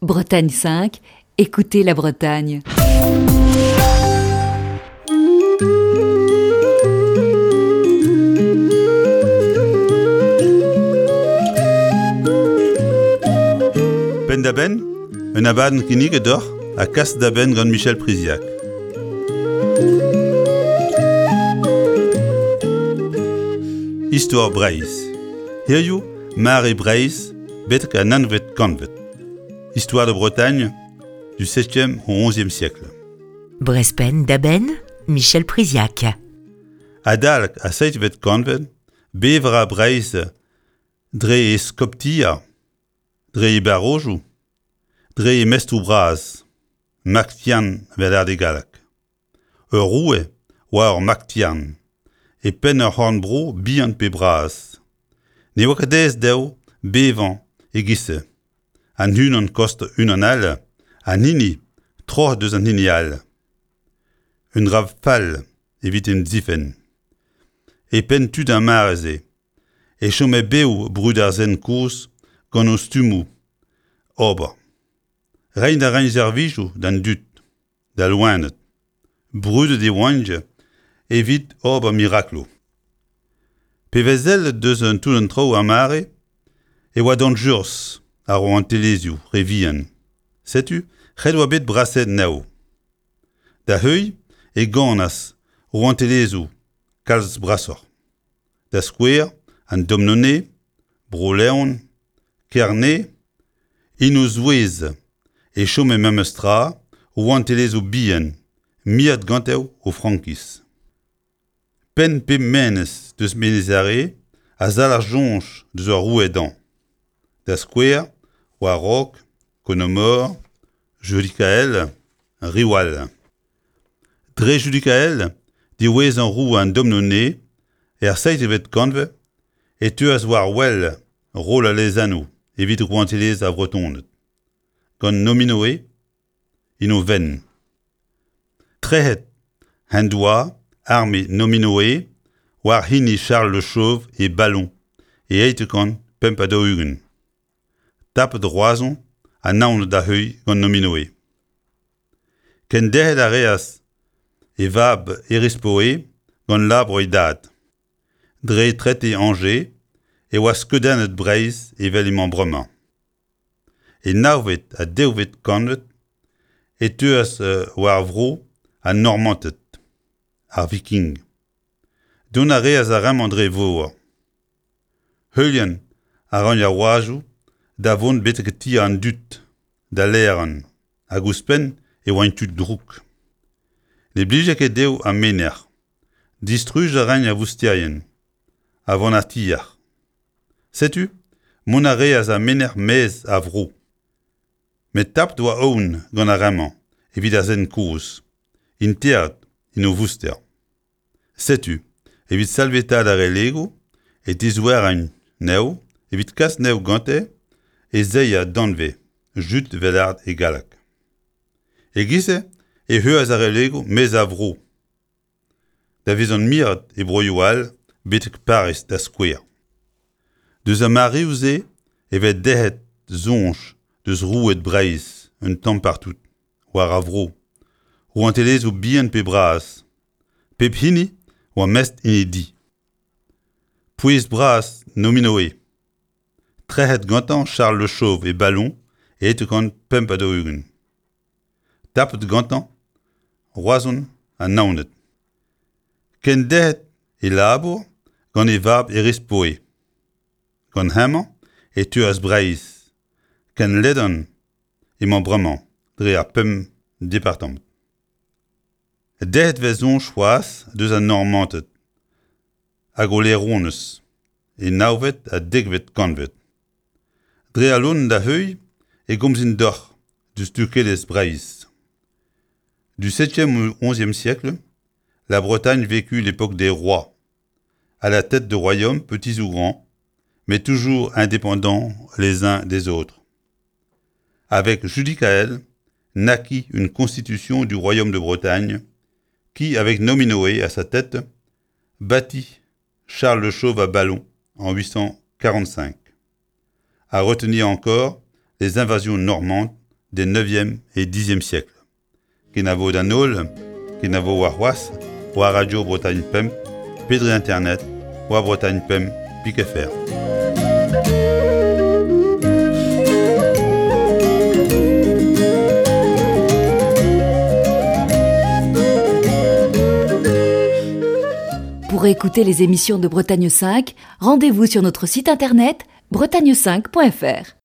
Bretagne 5, écoutez la Bretagne. Penn-da-benn, un abadenn kinniget deoc'h ha kas da benn gant Michel Priziac. Istor Breizh. Hiziv, mare Breizh betek an nvet kantved. Histoire de Bretagne du 7e au 11e siècle. Brespen da benn, Michel Priziac. Adalek ar seizhvet kantved, bev a ra Breizh dre e skoptiañ, dre e barrojoù, dre e mestroù bras, Maktian 'vel ar galleg. Ur roue oa ur Maktian, e penn ur c'horn-bro bihan pe bras. Ne oa ket aes dezho bevañ e-giz-se. An unan kost unan all, an hini troc'het eus an hini all. Un dra fall evit en difenn. E penn tud ar mare-se e chome bev brud ar sent kozh gant o stummoù ober. Reiñ a raint servijoù d'an dud, d'al loened. Brudet e oant evit ober mirakloù. Pe vez sellet deus un toull an traoù ar mare e oa dañjerus ar rouantelezhioù re vihan. Setu ret oa bet brasaet anezho. Da heuilh e ganas rouantelezhioù kalz brasoc'h. Da skouer an Domnone, Bro-Leon, Kerne. En o zouez e chome memes tra rouantelezhioù bihan miret gante o frankiz. Penn pep menez deus Menez Are a zalc'h soñj deus ur roue dañ. Da skouer, War-raok, Konomor, Judikael, Riwal. Dre Judikael, diwezhañ roue an Domnone, er seizhvet kantved, e teuas war wel roll al lezennoù evit rouantelezh ar Vretoned, gant Nominoe en o fenn. Trec'het en doa arme Nominoe war hini Charles Le Chauve e Ballon e 845. Tapet Roazhon ha Naoned da heuilh gant Nominoe. Kenderc'hel a reas e vab Erispoe gant labour e dad. Dre trete Angers e oa skeudennet Breizh evel emañ bremañ. E navvet ha dekvet kantved e teuas war vro an Normanted, ar Viking. Dont a reas ar re-mañ dre vor. Heuliañ a raint ar oazoù da vont betek ti an dud da laeron hag ouzhpenn e oant tud drouk. Ne blije ket dezho ar menec'h. Distruj a raint ar vousterien a vanatier. Setu mont a reas ar menec'h maez a vro. Met tapet oa aon gant ar re-mañ evit ar sent kozh, interet en o vouster. Setu, evit salvetaat ar relegoù e tizoueraint anezho evit kas anezho gante e zeiz danvez Jude Vellard e galleg. E-giz-se e heuas ar relegoù maez a vro da vezañ miret e broioù all betek Pariz da skouer. Deus ar mareoù-se e vez derc'het soñj deus roueed Breizh un tamm partout. war ar vro, rouantelezhioù bihan pe bras, pep hini oa mestr en e di. Pouez bras Nominoe. Trec'het gantañ Charles Le Chauve e Ballon e 845. Tapet gantañ Roazhon ha Naoned. Kenderc'het e labour gant e vab Erispoe. Gant hemañ e teuas Breizh, ken ledan emañ bremañ dre ar pemp departamant. Derc'het 'vez soñj c'hoazh deus an Normanted hag o laeronez e navvet ha dekvet kantved. Dre al loen da heuilh e gomzin deoc'h deus dukelezh Breizh. Du 7e au 11e siècle, la Bretagne vécut l'époque des rois, à la tête de royaumes petits ou grands, mais toujours indépendants les uns des autres. Avec Judicaël naquit une constitution du royaume de Bretagne qui, avec Nominoé à sa tête, bâtit Charles le Chauve à Ballon en 845. À retenir encore les invasions normandes des 9e et 10e siècles. Kenavo d'an holl, kenavo warc'hoazh, war Radio Bretagne Pemp, pe dre internet, war Bretagne Pemp, pik FR. Pour écouter les émissions de Bretagne 5, rendez-vous sur notre site internet bretagne5.fr.